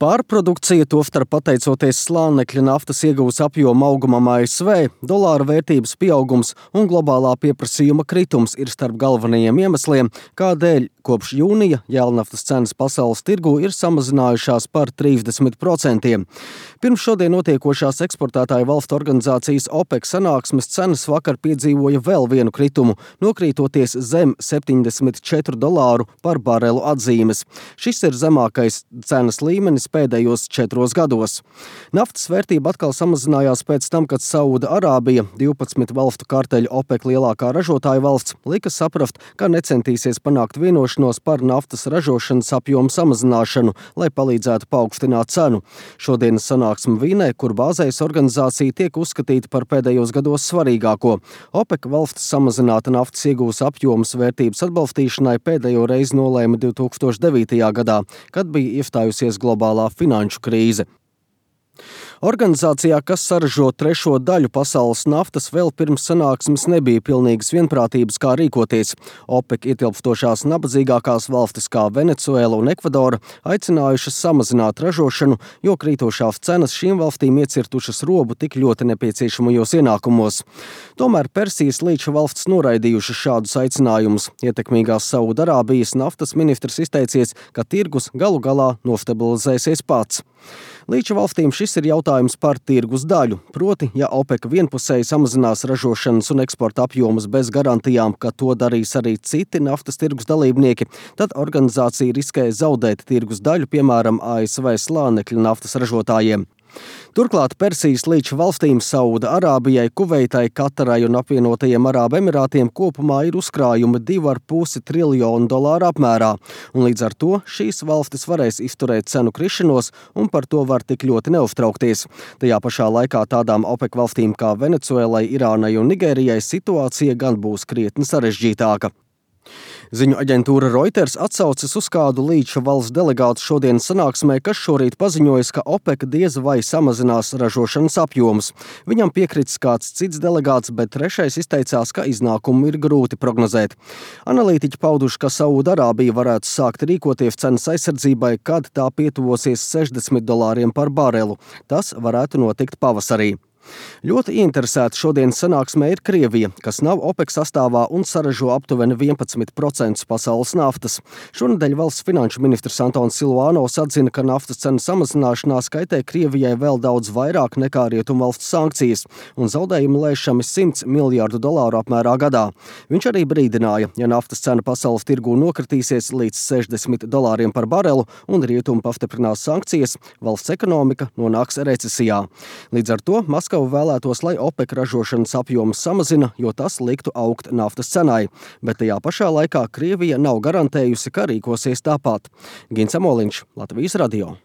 Pārprodukcija, tostarp pateicoties slānekļa naftas ieguves apjoma augumam ASV, dolāra vērtības pieaugums un globālā pieprasījuma kritums ir starp galvenajiem iemesliem, kādēļ kopš jūnija jēlnaftas cenas pasaules tirgū ir samazinājušās par 30%. Pirms šodien notiekošās eksportētāju valstu organizācijas OPEC sanāksmes cenas vakar piedzīvoja vēl vienu kritumu, nokrītoties zem $74 par barelu atzīmes. Šis ir zemākais cenas līmenis pēdējos 4 gados. Naftas vērtība atkal samazinājās pēc tam, kad Sauda Arābija, 12 valstu karteļu OPEC lielākā ražotāja valsts, lika saprast, ka necentīsies panākt vienošanos par naftas ražošanas apjomu samazināšanu, lai palīdzētu paaugstināt cenu. Šodienas sanāksme Vīnē, kur bāzējas organizācija, tiek uzskatīta par pēdējos gados svarīgāko. OPEC valstis samazināta naftas ieguves apjomas vērtības atbalstīšanai pēdējo reizi nolēma 2009. gadā, kad bija iestājusies globālā finanšu krīze. Organizācijā, kas saražo trešo daļu pasaules naftas, vēl pirms sanāksmes nebija pilnīgas vienprātības, kā rīkoties. OPEC ietilpstošās nabadzīgākās valstis kā Venecuēla un Ekvadora aicinājušas samazināt ražošanu, jo krītošās cenas šīm valstīm iecirtušas robu tik ļoti nepieciešamajos ienākumos. Tomēr Persijas līča valstis noraidījušas šādus aicinājumus. Ietekmīgās Sauda Arābijas naftas ministrs izteicies, ka tirgus galu galā nostabilizēsies pats. Līča valstīm šis ir jautājums par tirgus daļu, proti, ja OPEC vienpusēji samazinās ražošanas un eksporta apjomus bez garantijām, ka to darīs arī citi naftas tirgus dalībnieki, tad organizācija riskē zaudēt tirgus daļu, piemēram, ASV slānekļa naftas ražotājiem. Turklāt Persijas līča valstīm Sauda Arābijai, Kuveitai, Katarai un apvienotajiem Arābu Emirātiem kopumā ir uzkrājumi $2,5 triljonu apmērā, un līdz ar to šīs valstis varēs izturēt cenu krišanos un par to var tik ļoti neuztraukties. Tajā pašā laikā tādām OPEC valstīm kā Venecuēlai, Irānai un Nigērijai situācija gan būs krietni sarežģītāka. Ziņu aģentūra Reuters atsaucas uz kādu līča valsts delegātu šodienas sanāksmē, kas šorīt paziņojas, ka OPEC diez vai samazinās ražošanas apjomus. Viņam piekrits kāds cits delegāts, bet trešais izteicās, ka iznākumu ir grūti prognozēt. Analītiķi pauduši, ka Sauda Arābija varētu sākt rīkoties cenas aizsardzībai, kad tā pietuvosies $60 par barelu. Tas varētu notikt pavasarī. Ļoti ieinteresēta šodienas sanāksmē ir Krievija, kas nav OPEC sastāvā un saražo aptuveni 11% pasaules naftas. Šonedēļ valsts finanšu ministrs Antons Silvānovs atzina, ka naftas cenu samazināšanās kaitē Krievijai vēl daudz vairāk nekā rietumvalstu sankcijas, un zaudējumi lēšami $100 miljardu apmērā gadā. Viņš arī brīdināja, ja naftas cena pasaules tirgū nokritīsies līdz $60 par barelu un rietumi pastiprinās sankcijas, valsts ekonomika nonāks recesijā. Līdz ar to Maskava vēlētos, lai OPEC ražošanas apjomus samazina, jo tas liktu augt naftas cenai, bet tajā pašā laikā Krievija nav garantējusi, ka rīkosies tāpat. Gins Amoliņš, Latvijas radio.